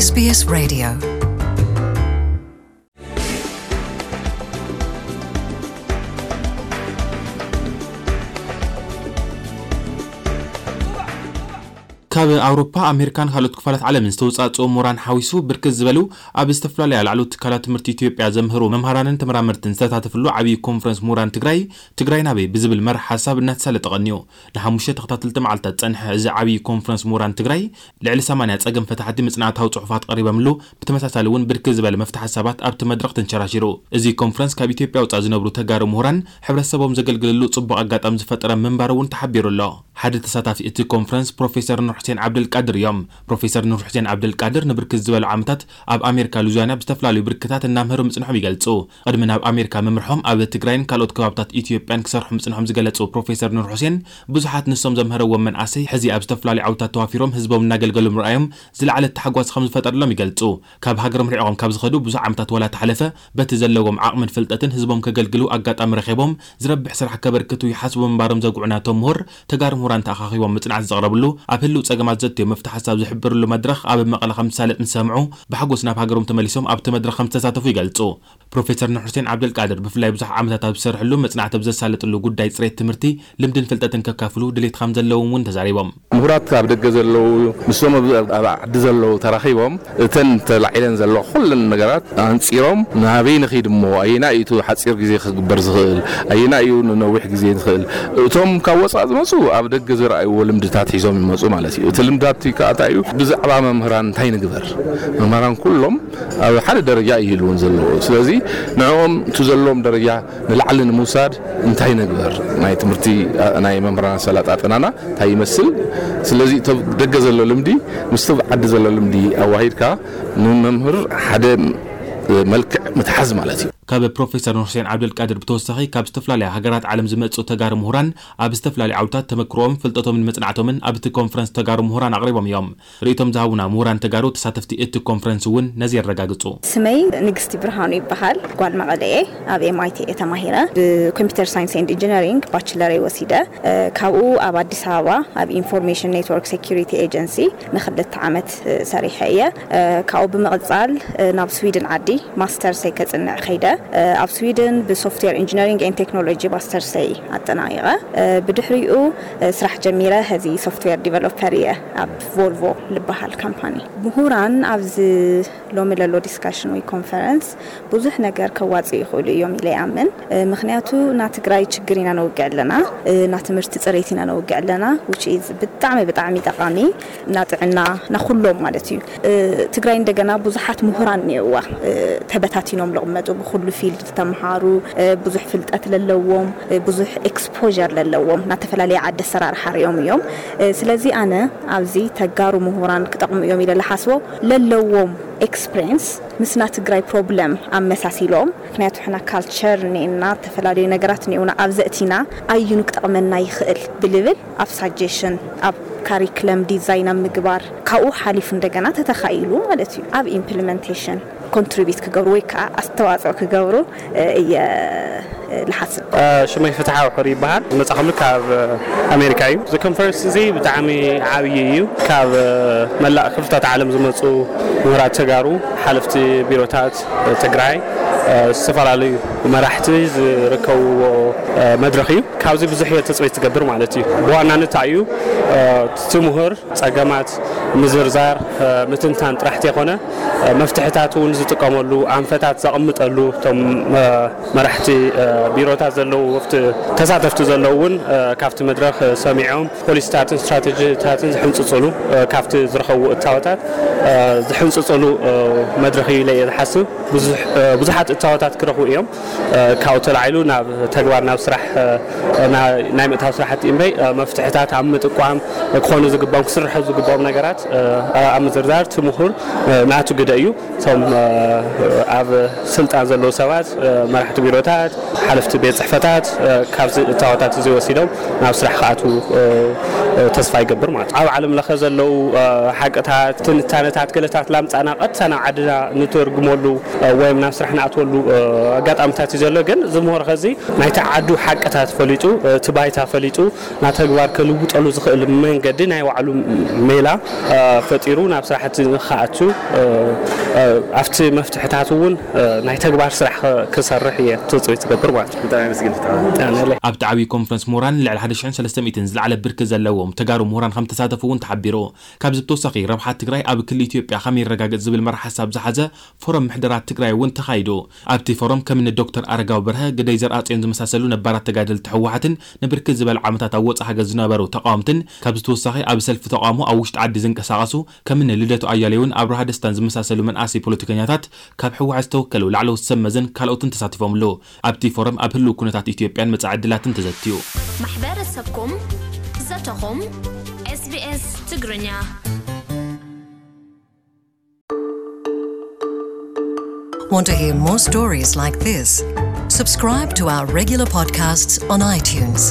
S B S Radio. ካብ ኣውሮፓ፣ ኣሜሪካን ካልኦት ክፋላት ዓለምን ዝተውጻጽኡ ምሁራን ሓዊሱ ብርክት ዝበሉ ኣብ ዝተፈላለያ ላዕለዎት ትካላት ትምህርቲ ኢትዮጵያ ዘምህሩ መምሃራንን ተመራመርትን ዝተሳተፍሉ ዓብዪ ኮንፈረንስ ምሁራን ትግራይ፣ ትግራይ ናበይ ብዝብል መርሕ ሓሳብ እናተሳለጠ ቀንዩ። ንሓሙሽተ ተኸታተልቲ መዓልታት ጸንሐ እዚ ዓብዪ ኮንፈረንስ ምሁራን ትግራይ፣ ልዕሊ ሰማንያ ጸገም ፈታሕቲ መጽናዕታዊ ጽሑፋት ቀሪበምሉ፣ ብተመሳሳሊ እውን ብርክት ዝበለ መፍትሒ ሓሳባት ኣብቲ መድረኽ ተንሸራሺሩ። እዚ ኮንፈረንስ ካብ ኢትዮጵያ ወጻኢ ዝነብሩ ተጋሩ ምሁራን ሕብረተሰቦም ዘገልግልሉ ጽቡቕ ኣጋጣሚ ዝፈጠረ ምንባሩ እውን ተሓቢሩ ኣሎ። ሓደ ተሳታፊ እቲ ኮንፈረንስ ፕሮፌሰር ኑር ሑሴን ዓብደልቃድር እዮም። ፕሮፌሰር ኑር ሑሴን ዓብደልቃድር ንብርክት ዝበሉ ዓመታት ኣብ ኣሜሪካ ሉዚያና ብዝተፈላለዩ ብርክታት እናምህሩ ምጽንሖም ይገልጹ። ቅድሚ ናብ ኣሜሪካ ምምርሖም ኣብ ትግራይን ካልኦት ከባብታት ኢትዮጵያን ክሰርሑ ምጽንሖም ዝገለጹ ፕሮፌሰር ኑር ሑሴን፣ ብዙሓት ንሶም ዘምህረዎም መናእሰይ ሕዚ ኣብ ዝተፈላለዩ ዓውታት ተዋፊሮም ህዝቦም እናገልገሉ ምርኣዮም ዝለዓለ ታሕጓስ ከም ዝፈጠረሎም ይገልጹ። ካብ ሃገሮም ርሒቖም ካብ ዝኸዱ ብዙሕ ዓመታት ዋላ ተሓለፈ፣ በቲ ዘለዎም ዓቕምን ፍልጠትን ህዝቦም ከገልግሉ ኣጋጣሚ ረኺቦም ዝረብሕ ስራሕ ከበርክቱ ይሓስቡ ምንባሮም ዘጉዑ ናቶም ምሁር፣ ተጋሩ ምሁራን ተኣኻኺቦም መጽናዕቲ ዘቕረብሉ፣ ኣብ ህልው ጸገማት ዘትዮም መፍትሒ ሓሳብ ዝሕብርሉ መድረኽ ኣብ መቐለ ከም ዝሳለጥ ምስ ሰምዑ፣ ብሓጎስ ናብ ሃገሮም ተመሊሶም ኣብቲ መድረኽ ከም ዝተሳተፉ ይገልጹ። ፕሮፌሰር ኑር ሑሴን ዓብደልቃድር ብፍላይ ብዙሕ ዓመታት ኣብ ዝሰርሕሉ መጽናዕቲ ኣብ ዘሳለጥሉ ጉዳይ ጽሬት ትምህርቲ ልምድን ፍልጠትን ከካፍሉ ድሌት ከም ዘለዎም እውን ተዛሪቦም። ምሁራት ኣብ ደገ ዘለዉ ምስቶም ኣብ ኣብ ዓዲ ዘለዉ ተራኺቦም እተን ተላዒለን ዘለዋ ኩለን ነገራት ኣንጺሮም ናበይ ንኺድ እሞ ኣየና እዩ እቲ ሓጺር ግዜ ክግበር ዝኽእል ኣየና እዩ ንነዊሕ ግዜ ዝኽእል እቶም ካብ ወጻኢ ዝመጹ ኣብ ደገ ዝረኣይዎ ልምድታት ሒዞም ይመጹ ማለት እዩ። እቲ ልምዳት ከኣ እንታይ እዩ ብዛዕባ መምህራን እንታይ ንግበር መምህራን ኩሎም ኣብ ሓደ ደረጃ ይህልውን ዘለዎ ስለዚ ንዕኦም እቲ ዘለዎም ደረጃ ንላዕሊ ንምውሳድ እንታይ ንግበር ናይ ትምህርቲ ናይ መምህራን ኣሰላጣጥናና እንታይ ይመስል ስለዚ እቶ ደገ ዘሎ ልምዲ ምስቲ ዓዲ ዘሎ ልምዲ ኣዋሂድካ ንመምህር ሓደ መልክዕ ምትሓዝ ማለት እዩ። ካብ ፕሮፌሰር ኑርሴን ዓብደልቃድር ብተወሳኺ ካብ ዝተፈላለያ ሃገራት ዓለም ዝመፁ ተጋሩ ምሁራን ኣብ ዝተፈላለዩ ዓውታት ተመክሮኦም ፍልጠቶምን መፅናዕቶምን ኣብቲ ኮንፈረንስ ተጋሩ ምሁራን ኣቕሪቦም እዮም። ርእይቶም ዝሃቡና ምሁራን ተጋሩ ተሳተፍቲ እቲ ኮንፈረንስ እውን ነዚ የረጋግፁ። ስመይ ንግስቲ ብርሃኑ ይበሃል። ጓል መቐለ እየ። ኣብ M I T እየ ተማሂረ። ብ computer science and engineering bachelor እየ ወሲደ። ካብኡ ኣብ ኣዲስ ኣበባ ኣብ ኢንፎርሜሽን ኔትወርክ ሴኩሪቲ ኤጀንሲ ንክልተ ዓመት ሰሪሐ እየ። ካብኡ ብምቕፃል ናብ ስዊድን ዓዲ ማስተርሰይ ከፅንዕ ከይደ። ኣብ ስዊድን ብ software engineering and technology ማስተርሰይ ኣጠናቒቐ። ብድሕሪኡ ስራሕ ጀሚረ። ሕዚ ሶፍትዌር ዲቨሎፐር እየ ኣብ ቮልቮ ዝበሃል ካምፓኒ። ምሁራን ኣብዚ ሎሚ ለሎ ዲስካሽን ወይ ኮንፈረንስ ብዙሕ ነገር ከዋፅኡ ይኽእሉ እዮም ኢለ ይኣምን። ምኽንያቱ ና ትግራይ ችግር ኢና ነውግዕ ኣለና፣ ና ትምህርቲ ፅሬት ኢና ነውግዕ ኣለና። Which is ብጣዕሚ ብጣዕሚ ጠቓሚ፣ ና ጥዕና፣ ና ኩሎም ማለት እዩ። ትግራይ እንደገና ብዙሓት ምሁራን እኒኦዋ፣ ተበታቲኖም ልቕመጡ ብኩሉ ፊልድ ዝተምሃሩ፣ ብዙሕ ፍልጠት ለለዎም፣ ብዙሕ ኤክስፖር ለለዎም፣ ና ተፈላለየ ዓዲ ኣሰራርሓ ሪኦም እዮም። ስለዚ ኣነ ኣብዚ ተጋሩ ምሁራን ክጠቕሙ እዮም ኢለ ልሓስቦ ለለዎም ኤክስፕሬንስ ምስና ትግራይ ፕሮብለም ኣመሳሲሎም። ምክንያቱ ሕና ካልቸር እኒኤና፣ ዝተፈላለዩ ነገራት እኒኡና፣ ኣብ ዘእቲና ኣዩኑ ክጠቕመና ይኽእል ብልብል ኣብ ሳጀሽን ኣብ ካሪክለም ዲዛይን ኣብ ምግባር ካብኡ ሓሊፉ እንደገና ተተኻኢሉ ማለት እዩ ኣብ ኢምፕሊመንቴሽን ኮንትሪቢዩት ክገብሩ ወይ ከዓ ኣስተዋፅኦ ክገብሩ እየ ልሓስብ። ሽመይ ፍትሓዊ ሕሩ ይበሃል። ዝመጻኹሉ ካብ ኣሜሪካ እዩ። እዚ ኮንፈረንስ እዚ ብጣዕሚ ዓብዪ እዩ። ካብ መላእ ክፍልታት ዓለም ዝመፁ ምሁራት ተጋሩ፣ ሓለፍቲ ቢሮታት ትግራይ፣ ዝተፈላለዩ መራሕቲ ዝርከብዎ መድረኽ እዩ። ካብዚ ብዙሕ እየ ትፅቢት ዝገብር ማለት እዩ። ብዋናነት እዩ እቲ ምሁር ፀገማት ምዝርዛር ምትንታን ጥራሕ ተይኮነ መፍትሕታት እውን ዝጥቀመሉ ኣንፈታት ዘቕምጠሉ እቶም መራሕቲ ቢሮታት ዘለዉ ወፍቲ ተሳተፍቲ ዘለዉ እውን ካብቲ መድረኽ ሰሚዖም ፖሊሲታትን ስትራቴጂታትን ዝሕንፅፅሉ ካብቲ ዝረኸቡ እታወታት ዝሕንፅፅሉ መድረኽ እዩ ኢለ እየ ዝሓስብ። ብዙሓት እታወታት ክረኽቡ እዮም። ካብኡ ተላዒሉ ናብ ተግባር ናብ ስራሕ ናይ ምእታው ስራሕቲ እምበይ መፍትሕታት ኣብ ምጥቋም ክኾኑ ዝግባኦም ክስርሑ ዝግባኦም ነገራት ኣብ ምዝርዛር እቲ ምሁር ናቱ ግደ እዩ። እቶም ኣብ ስልጣን ዘለዉ ሰባት መራሕቲ ቢሮታት ሓለፍቲ ቤት ፅሕፈታት ካብዚ እታወታት እዚ ወሲዶም ናብ ስራሕ ክኣትዉ ተስፋ ይገብር ማለት ኣብ ዓለም ለኸ ዘለዉ ሓቅታት ትንታነታት ገለታት ላምፃና ቀጥታ ናብ ዓድና ንተርግመሉ ወይም ናብ ስራሕ ንኣትወሉ ኣጋጣሚታት እዩ ዘሎ። ግን እዚ ምሁር ኸዚ ናይቲ ዓዱ ሓቅታት ፈሊጡ እቲ ባይታ ፈሊጡ ናብ ተግባር ከልውጠሉ ዝኽእል መንገዲ ናይ ባዕሉ ሜላ ፈጢሩ ናብ ስራሕቲ ንክኣቱ ኣብቲ መፍትሕታት እውን ናይ ተግባር ስራሕ ክሰርሕ እየ ትፅቢት ትገብር ማለት እዩ። ኣብቲ ዓብዪ ኮንፈረንስ ምሁራን ልዕሊ ሓደ ሽሕን ሰለስተ ሚእትን ዝለዓለ ብርኪ ዘለዎም ተጋሩ ምሁራን ከም ተሳተፉ እውን ተሓቢሩ። ካብዚ ብተወሳኺ ረብሓ ትግራይ ኣብ ክሊ ኢትዮጵያ ከመይ ይረጋገፅ ዝብል መርሓ ሓሳብ ዝሓዘ ፎረም ምሕደራ ትግራይ እውን ተኻይዱ። ኣብቲ ፎረም ከም እኒ ዶክተር ኣረጋዊ በርሀ፣ ግደይ ዘርኣፅዮን ዝመሳሰሉ ነባራት ተጋደልቲ ህወሓትን ንብርክት ዝበለ ዓመታት ኣብ ወፃኢ ሃገር ዝነበሩ ተቃወምትን ካብዚ ተወሳኺ ኣብ ሰልፊ ተቃውሞ ኣብ ውሽጢ ዓዲ ዝንቀሳቐሱ ከም እኒ ልደቱ ኣያሌውን ኣብርሃ ደስታን ዝመሳሰሉ መናእሰይ ፖለቲከኛታት ካብ ህወሓት ዝተወከሉ ላዕለዎት ሰብ መዘን ካልኦትን ተሳቲፎምሉ። ኣብቲ ፎረም ኣብ ህልው ኩነታት ኢትዮጵያን መጻኢ ዕድላትን ተዘትዩ። ማሕበረሰብኩም ዘተኹም SBS ትግርኛ Want to hear more stories like this? Subscribe to our regular podcasts on iTunes.